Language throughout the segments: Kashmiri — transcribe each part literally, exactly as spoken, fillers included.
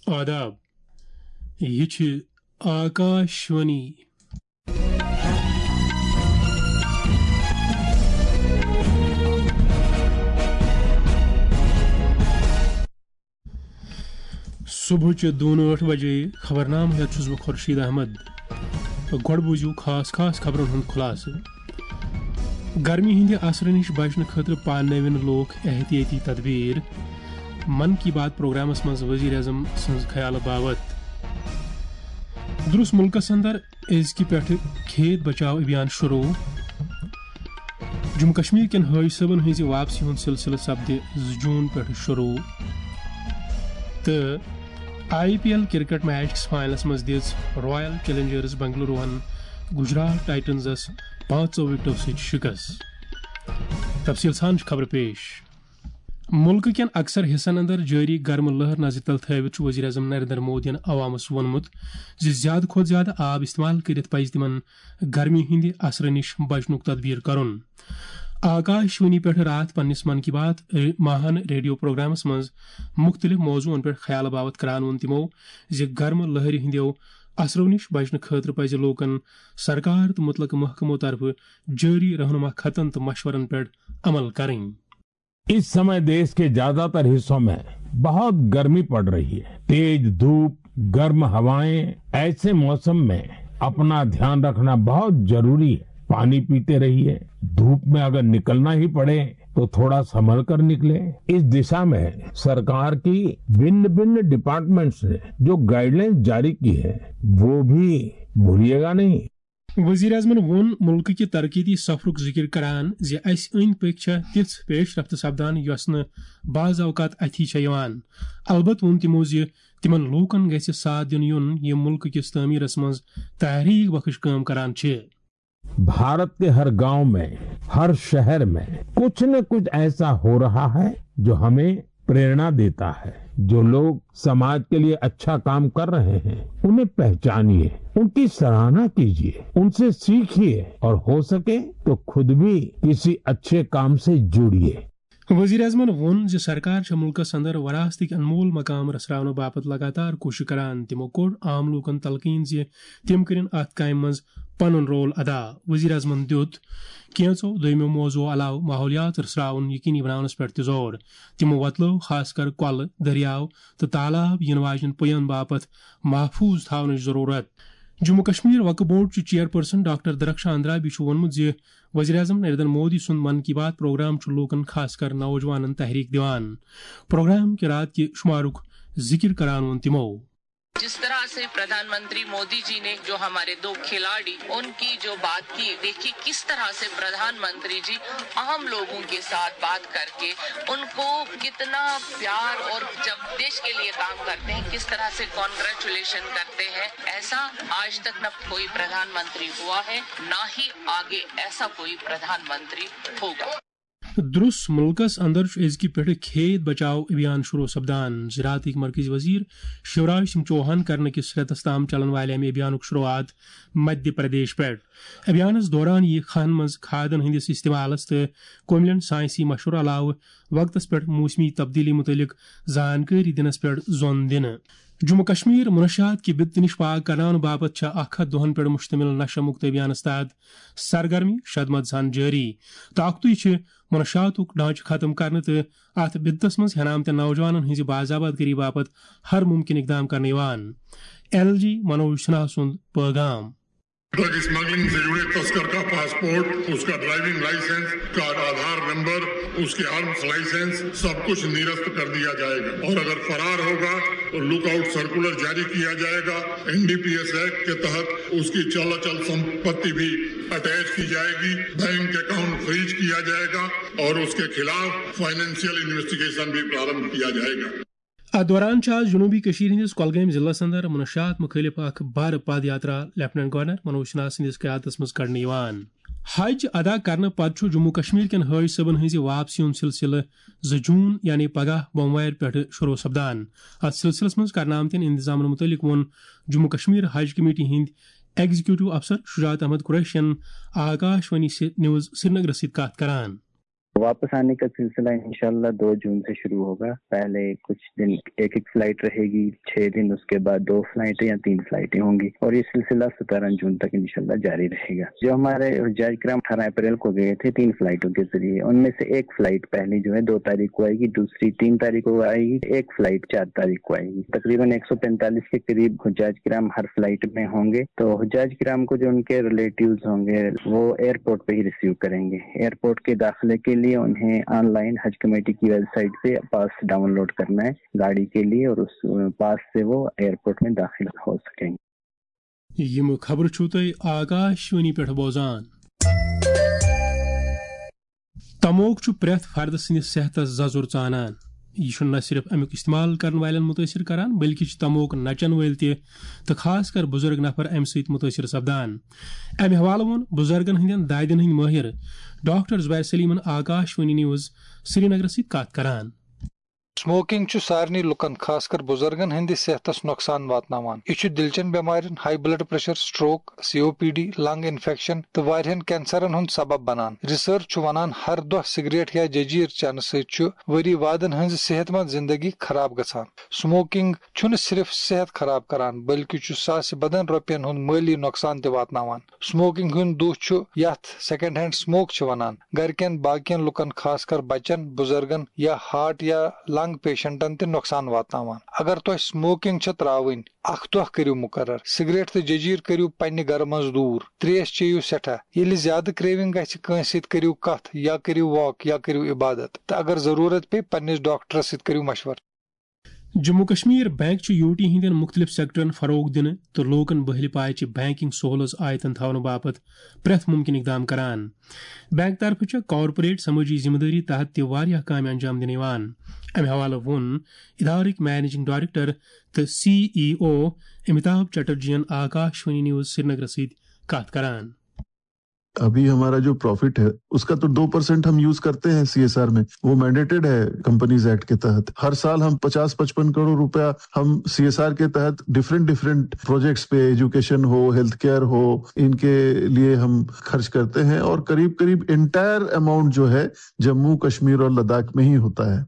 آداب، یہِ چھِ آکاشوانی۔ صبحٕچہِ دُنہٕ ٲٹھ بجے خبرنامہٕ ہٮ۪تھ چھُس بہٕ خورشید احمد۔ گۄڈٕ بوٗزِو خاص خاص خبرن ہُنٛد خُلاصہٕ۔ گرمی ہٕنٛدِ اثرٕ نِش بچنہٕ خٲطرٕ پاننٲوِن لوٗکھ احتیٲطی تدبیر۔ من کی بات پروگرامس منٛز وزیر اعظم سٕنٛز خیالہٕ باوت۔ درُس مُلکس اندر أزکہِ پٮ۪ٹھٕ کھیت بچاو ابھیان شروع۔ جموں کشمیر کٮ۪ن حٲج صٲبن ہٕنٛزِ واپسی ہُنٛد سلسلہٕ سپدِ زٕ جوٗن پٮ۪ٹھٕ شروع۔ تہٕ I P L cricket match کِس فاینلس منٛز دِژ رائل چیلنجرز بنگلوروہن گجرات ٹائٹنزس پانٛژو وِکٹو سۭتۍ شِکست۔ تفصیل سان چھِ خبرٕ پیش۔ مُلکہٕ کٮ۪ن اکثر حصن اندر جٲری گرمہٕ لہر نظرِ تل تھٲوِتھ چھُ وزیر اعظم نریندر مودیَن عوامس ووٚنمُت زِ زیادٕ کھۄتہٕ زیادٕ آب استعمال کٔرِتھ پزِ تِمن گرمی ہٕنٛدِ اثرٕ نِش بچنُک تدبیر کرُن۔ آکاش وانی پٮ۪ٹھ راتھ پننِس من کی بات ر-، ماہن ریڈیو پروگرامس منٛز مُختٔلِف موضوعن پٮ۪ٹھ خیال باوت کران ووٚن تِمو زِ گرمہٕ لہرِ ہٕنٛدیو اثرو نِش بچنہٕ خٲطرٕ پزِ لوٗکن سرکار تہٕ مُتلقہٕ محکمو طرفہٕ جٲری رہنما خطن تہٕ مشورن پٮ۪ٹھ عمل کرٕنۍ۔ इस समय देश के ज्यादातर हिस्सों में बहुत गर्मी पड़ रही है। तेज धूप, गर्म हवाएं, ऐसे मौसम में अपना ध्यान रखना बहुत जरूरी है। पानी पीते रहिए। धूप में अगर निकलना ही पड़े तो थोड़ा संभल कर निकले। इस दिशा में सरकार की भिन्न भिन्न डिपार्टमेंट्स ने जो गाइडलाइंस जारी की है, वो भी भूलिएगा नहीं। وزیر اعظمن ووٚن مُلکہٕ کہِ ترقیتی سفرُک ذِکِر کران زِ اسہِ أنٛدۍ پٔکۍ چھےٚ تِژھ پیش رفت سپدان یۄس نہٕ بعض اوقات اَتھی چھےٚ یِوان۔ البتہٕ ووٚن تِمو زِ تِمن لوٗکن گژھِ ساتھ دِنہٕ یُن یِم مُلکہٕ کِس تعمیٖرس منٛز تحریک بخش کٲم کران چھِ۔ भारत के हर गांव में, हर शहर में कुछ न कुछ ऐसा हो रहा है जो हमें प्रेरणा देता है। जो लोग समाज के लिए अच्छा काम कर रहे हैं, उन्हें पहचानिए, उनकी सराहना कीजिए, उनसे सीखिए और हो सके तो खुद भी किसी अच्छे काम से जुड़िए। وزیر اعظمن ووٚن زِ سرکار چھےٚ مُلکس اندر وراثتٕکۍ انمول مقام رژھراونہٕ باپتھ لگاتار کوٗشش کران۔ تِمو کوٚر عام لوٗکن تلقین زِ تِم کٔرِن اتھ کامہِ منٛز پنُن رول ادا۔ وزیر اعظمن دِیُت کینٛژو دوٚیمو موضوعو علاوٕ ماحولیات رژھراوُن یقینی بناونس پٮ۪ٹھ تہِ زور۔ تِمو وۄتلٲو خاص کر کۄلہٕ، دٔریاو تہٕ تالاب یِنہٕ واجنٮ۪ن پُیَن باپتھ محفوظ تھاونٕچ ضروٗرت۔ جموں کشمیر وقف بورڈ چہِ چیئرپرسن ڈاکٹر درخشان درابی چھُ ووٚنمُت زِ وزیر اعظم نریندر مودی سُنٛد من کی بات پروگرام چھُ لوٗکن، خاص کر نوجوانن، تحریک دِوان۔ پروگرام کہِ رات کہِ شمارُک ذِکِر کران ووٚن تِمو۔ جس طرح سے پردھان منتری مودی جی نے جو ہمارے دو کھلاڑی، ان کی جو بات کی، دیکھیے کس طرح سے پردھان منتری جی عام لوگوں کے ساتھ بات کر کے ان کو کتنا پیار، اور جب دیش کے لیے کام کرتے ہیں کس طرح سے کانگریچولیشن کرتے ہیں، ایسا آج تک نہ کوئی پردھان منتری ہوا ہے، نہ ہی آگے ایسا کوئی پردھان منتری ہوگا۔ درُس مُلکس اندر چھُ أزکہِ پٮ۪ٹھٕ کھیت بچاو ابھیان شروع سپدان۔ زراعتٕکۍ مرکزی وزیر شیوراج سنگھ چوہان کرنہٕ کِس رٮ۪تس تام چلن والہِ امہِ ابھیانُک شروعات مدھیہ پردیش پٮ۪ٹھ۔ ابھیانس دوران یِیہِ کھہن منٛز کھادن ہٕنٛدِس استعمالس تہٕ کُملٮ۪ن ساینسی مشورٕ علاوٕ وقتس پٮ۪ٹھ موسمی تبدیلی مُتعلق زانکٲری دِنس پٮ۪ٹھ زون دِنہٕ۔ جموں کشمیر منشیات کہِ بدتہٕ نِش پاک کرناونہٕ باپتھ چھےٚ اکھ ہتھ دۄہن پٮ۪ٹھ مشتمل نشہ مکت ابھیانس تحت سرگرمی شدمت سان جٲری۔ طاقتٕے چھِ منشیاتُک ڈھانچہٕ ختم کرنہٕ تہٕ اتھ بدتس منٛز ہٮ۪نہٕ آمتٮ۪ن نوجوانن ہٕنٛزِ باضابطگری باپتھ ہر ممکن اقدام کرنہٕ یِوان۔ ایل جی منوج سنہا سُنٛد پٲغام۔ ڈرگ اسمگلنگ سے جڑے تسکر کا پاسپورٹ، اس کا ڈرائیونگ لائسنس، کا آدھار نمبر، اس کے آرمز لائسنس، سب کچھ نرست کر دیا جائے گا، اور اگر فرار ہوگا تو لک آؤٹ سرکولر جاری کیا جائے گا۔ N D P S act کے تحت اس کی چل اچل سمپتی بھی اٹیچ کی جائے گی، بینک اکاؤنٹ فریز کیا جائے گا اور اس کے خلاف فائنینشیل انویسٹیگیشن بھی پرارمبھ کیا جائے گا۔ اتھ دوران چھُ آز جنوبی کٔشیٖر ہٕنٛدِس کۄلگٲمۍ ضلعس اندر منشیات مُخٲلِف اکھ بھرٕ پد یاترا لیفٹیننٹ گورنر منوج سنہا سٕنٛدِس قیادتس منٛز کڑنہٕ یِوان۔ حج ادا کرنہٕ پتہٕ چھُ جموں کشمیر کٮ۪ن حٲج صٲبن ہٕنٛزِ واپسی ہُنٛد سلسلہٕ زٕ جوٗن یعنی پگاہ بوموارِ پٮ۪ٹھٕ شروع سپدان۔ اتھ سلسلس منٛز کرنہٕ آمتٮ۪ن انتظامن مُتعلق ووٚن جموں کشمیر حج کمیٹی ہٕنٛدۍ ایگزیکیٹو افسر شجاعت احمد قریشین آکاش وانی سی-، نیوز سرینگرس سۭتۍ کتھ کران۔ واپس آنے کا سلسلہ انشاءاللہ دو جون سے شروع ہوگا۔ پہلے کچھ دن ایک ایک فلائٹ رہے گی، چھ دن، اس کے بعد دو فلائٹیں یا تین فلائٹیں ہوں گی، اور یہ سلسلہ سترہ جون تک انشاءاللہ جاری رہے گا۔ جو ہمارے حجاج کرام اٹھارہ اپریل کو گئے تھے تین فلائٹوں کے ذریعے، ان میں سے ایک فلائٹ پہلی جو ہے دو تاریخ کو آئے گی، دوسری تین تاریخ کو آئے گی، ایک فلائٹ چار تاریخ کو آئے گی۔ تقریباً ایک سو پینتالیس کے قریب حجاج کرام ہر فلائٹ میں ہوں گے۔ تو حجاج کرام کو جو ان کے ریلیٹیوز ہوں گے، وہ ایئرپورٹ پہ ہی ریسیو کریں گے۔ ایئرپورٹ کے داخلے کے لیے انہیں آن لائن حج کمیٹی کی ویب سائٹ سے پاس ڈاؤن لوڈ کرنا ہے گاڑی کے لیے، اور اس پاس سے وہ ایئرپورٹ میں داخل ہو سکیں گے۔ یِم خبرٕ چھِو تُہۍ آکاشوانی پٮ۪ٹھ بوزان۔ تموک چھُ پرٛٮ۪تھ فردٕ سٕنٛدِس صحتس ززُر ژانان۔ یہِ چھُنہٕ نہ صرف امیُک استعمال کرن والٮ۪ن مُتٲثر کران، بلکہِ چھِ تموک نچن وٲلۍ تہِ، تہٕ خاص کر بُزرگ نفر، امہِ سۭتۍ مُتٲثر سپدان۔ امہِ حوالہٕ ووٚن بُزرگن ہٕنٛدٮ۪ن دادٮ۪ن ہٕنٛدۍ مٲہِر ڈاکٹر زبیر سلیمن آکاشوانی نیوز سرینگرس سۭتۍ کتھ کران۔ سموکنگ چھُ سارنٕے لُکن، خاص کر بُزرگن ہٕنٛدِ صحتس نۄقصان واتناوان۔ یہِ چھُ دِلچٮ۪ن بٮ۪مارٮ۪ن، ہاے بلڈ پریشر، سٹروک، سی او پی ڈی، لنگ انفیکشن تہٕ واریاہن کینسرن ہُنٛد سبب بنان۔ ریسرچ چھُ ونان، ہر دۄہ سگریٹ یا ججیٖر چنہٕ سۭتۍ چھُ ؤری وادن ہٕنٛز صحت مند زندگی خراب گژھان۔ سموکنگ چھُنہٕ صرف صحت خراب کران، بلکہِ چھُ ساسہِ بدن رۄپین ہُنٛد مٲلی نۄقصان تہِ واتناوان۔ سموکنگ ہُنٛد دُہ چھُ، یتھ سیکنڈ ہینڈ سموک چھِ ونان، گرِکٮ۪ن باقین لُکن، خاص کر بچن، بُزرگن یا ہارٹ یا لنگ پیشنٹن تہِ نۄقصان واتناوان۔ اگر تۄہہِ سموکنگ چھےٚ ترٛاوٕنۍ، اکھ دۄہ کٔرِو مُقرر۔ سگریٹ تہٕ ججیٖر کٔرِو پننہِ گرٕ منٛز دوٗر۔ تریش چیٚیِو سٮ۪ٹھاہ۔ ییٚلہِ زیادٕ کریونگ گژھِ کٲنٛسہِ سۭتۍ، کٔرِو کتھ یا کٔرِو واک یا کٔرِو عبادت، تہٕ اگر ضروٗرت پیٚیہِ، پننِس ڈاکٹرس سۭتۍ کٔرِو مشورٕ۔ جموں کشمیر بینک چھُ یوٹی ہٕنٛدٮ۪ن مُختٔلِف سیکٹرن فروغ دِنہٕ تہٕ لوٗکَن بہلہِ پایہِ چھِ بینکنگ سہوٗلژ آیتن تھاونہٕ باپتھ پرٛٮ۪تھ مُمکِن اقدام کران۔ بینک طرفہٕ چھےٚ کارپوریٹ سمٲجی ذمہٕ دٲری تحت تہِ واریاہ کامہِ انجام دِنہٕ یِوان۔ امہِ حوالہٕ ووٚن ادارٕکۍ مینیجنگ ڈائریکٹر تہٕ سی ای او امیتابھ چٹرجین آکاشوانی نیوز سرینگرس سۭتۍ کتھ کران۔ ابھی ہمارا جو پروفٹ ہے، اس کا تو دو پرسینٹ ہم یوز کرتے ہیں سی ایس آر میں، وہ مینڈیٹڈ ہے کمپنیز ایکٹ کے تحت۔ ہر سال ہم پچاس پچپن کروڑ روپیہ ہم سی ایس آر کے تحت ڈفرینٹ ڈفرینٹ پروجیکٹس پہ، ایجوکیشن ہو، ہیلتھ کیئر ہو، ان کے لیے ہم خرچ کرتے ہیں، اور قریب قریب انٹائر اماؤنٹ جو ہے جموں کشمیر اور لداخ میں ہی ہوتا ہے۔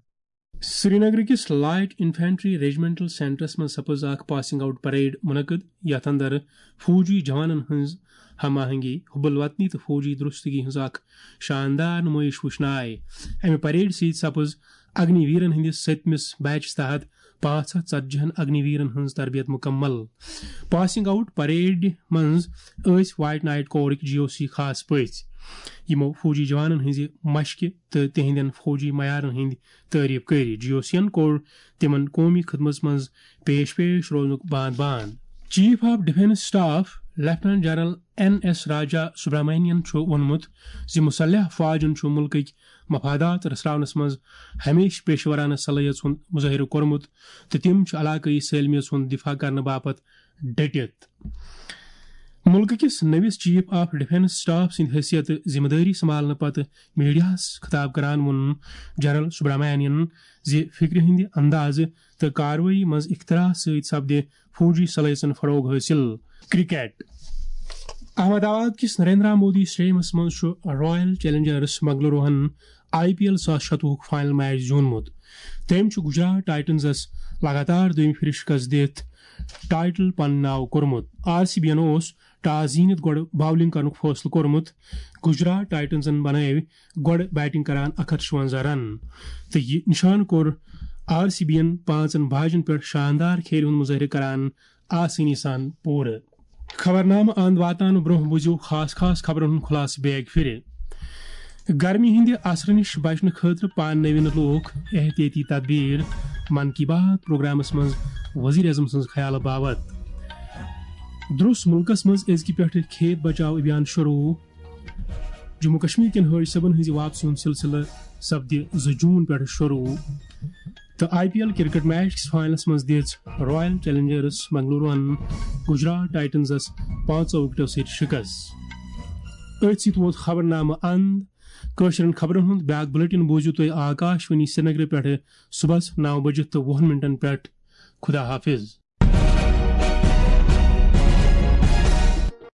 سرینگر کِس لائٹ انفینٹری ریجمنٹل سینٹرس منٛز سپٕز اکھ پاسنگ آؤٹ پریڈ منعقد، یتھ اندر فوجی جوانن ہٕنٛز ہم آہنگی، حب الوطنی تہٕ فوجی درستگی ہٕنٛز اکھ شاندار نمٲیش وٕچھنہٕ آیہِ۔ امہِ پریڈ سۭتۍ سپٕز اگنی ویرن ہٕنٛدِس سٔتمِس بیچس تحت پانٛژھ ہتھ ژتجی ہن اگنی ویرن ہٕنٛز تربیت مکمل۔ پاسنگ آؤٹ پریڈ منٛز ٲسۍ وائٹ نائٹ کورٕکۍ جی او سی خاص پٔژھۍ، یِمو فوجی جوانن ہٕنٛزِ مشقہِ تہٕ تِہنٛدٮ۪ن فوجی معیارن ہٕنٛدۍ تعریف کٔرۍ۔ جی او سی ین کوٚر تِمن قومی خدمتس منٛز پیش پیش روزنُک باند باند۔ Chief of defence staff lieutenant general N S Raja Subramanian چھُ ووٚنمُت زِ مسلح فوجن چھُ مُلکٕکۍ مفادات رژھراونس منٛز ہمیشہٕ پیشورانہٕ صلٲحیژ ہُنٛد مظٲہرٕ کوٚرمُت تہٕ تِم چھِ علاقٲیی سٲلمیت ہُنٛد دفاع کرنہٕ باپتھ ڈٔٹِتھ۔ مُلکہٕ کِس نٔوِس چیف آف ڈیفنس سٹاف سٕنٛدِ حیثیت ذمہٕ دٲری سنبھالنہٕ پتہٕ میڈیاہَس خطاب کران ووٚن جنرل سبرامانین زِ فکرِ ہٕنٛدِ اندازٕ تہٕ کاروٲیی منٛز اختراع سۭتۍ سپدِ فوجی صلٲحیژن فروغ حٲصِل۔ کرکٹ۔ احمد آباد کِس نریندرا مودی اسٹیڈیمس منٛز چھُ رائل چیلنجرس بنگلوروہن آئی پی ایل زٕ ساس شتوُہُک فائنل میچ زیوٗنمُت۔ تٔمۍ چھُ گجرات ٹائٹنزس لگاتار دوٚیمہِ پھِرِ شکست دِتھ ٹائٹل پننہِ ناو کوٚرمُت۔ آر سی بی یَن اوس ٹاس زیٖنِتھ گۄڈٕ باؤلنگ کرنُک فٲصلہٕ کوٚرمُت۔ گجرات ٹائٹنزن بنٲوۍ گۄڈٕ بیٹنگ کران اکھ ہتھ شُونزہ رن تہٕ یہِ نشانہٕ کوٚر آر سی بی یَن پانٛژن باجن پٮ۪ٹھ شاندار کھیلہِ ہُنٛد مظٲہرٕ کران آسٲنی سان پوٗرٕ۔ خبرنامہٕ اند واتناونہٕ برونٛہہ بوٗزِو خاص خاص خبرن ہُنٛد خلاصہٕ بیگ پھِرِ۔ گرمی ہٕنٛدِ اثرٕ نِش بچنہٕ خٲطرٕ پاننٲوِن لوٗکھ احتیاطی تدبیر۔ من کی بات پروگرامس منٛز وزیر اعظم سٕنٛز خیالہٕ باوت۔ درٛوس مُلکس منٛز أزکہِ پٮ۪ٹھٕ کھیت بچاو ابھیان شروع۔ جموں کشمیر کٮ۪ن حٲج صٲبن ہٕنٛزِ واپسی ہُنٛد سلسلہٕ سپدِ زٕ جوٗن پٮ۪ٹھ شروع۔ تہٕ I P L cricket match کِس فائنلس منٛز دِژ رائل چیلنجرس بنگلوروہن گجرات ٹائٹنزس پانٛژو وکٹو سۭتۍ شکست۔ أتھۍ سۭتۍ ووت خبرنامہٕ اند۔ کٲشرٮ۪ن خبرن ہُنٛد بیاکھ بلیٹن بوٗزِو تُہۍ آکاشوانی سرینگرٕ پٮ۪ٹھٕ صبحس نو بجہِ تہٕ وُہن منٹن پٮ۪ٹھ۔ خدا حافظ۔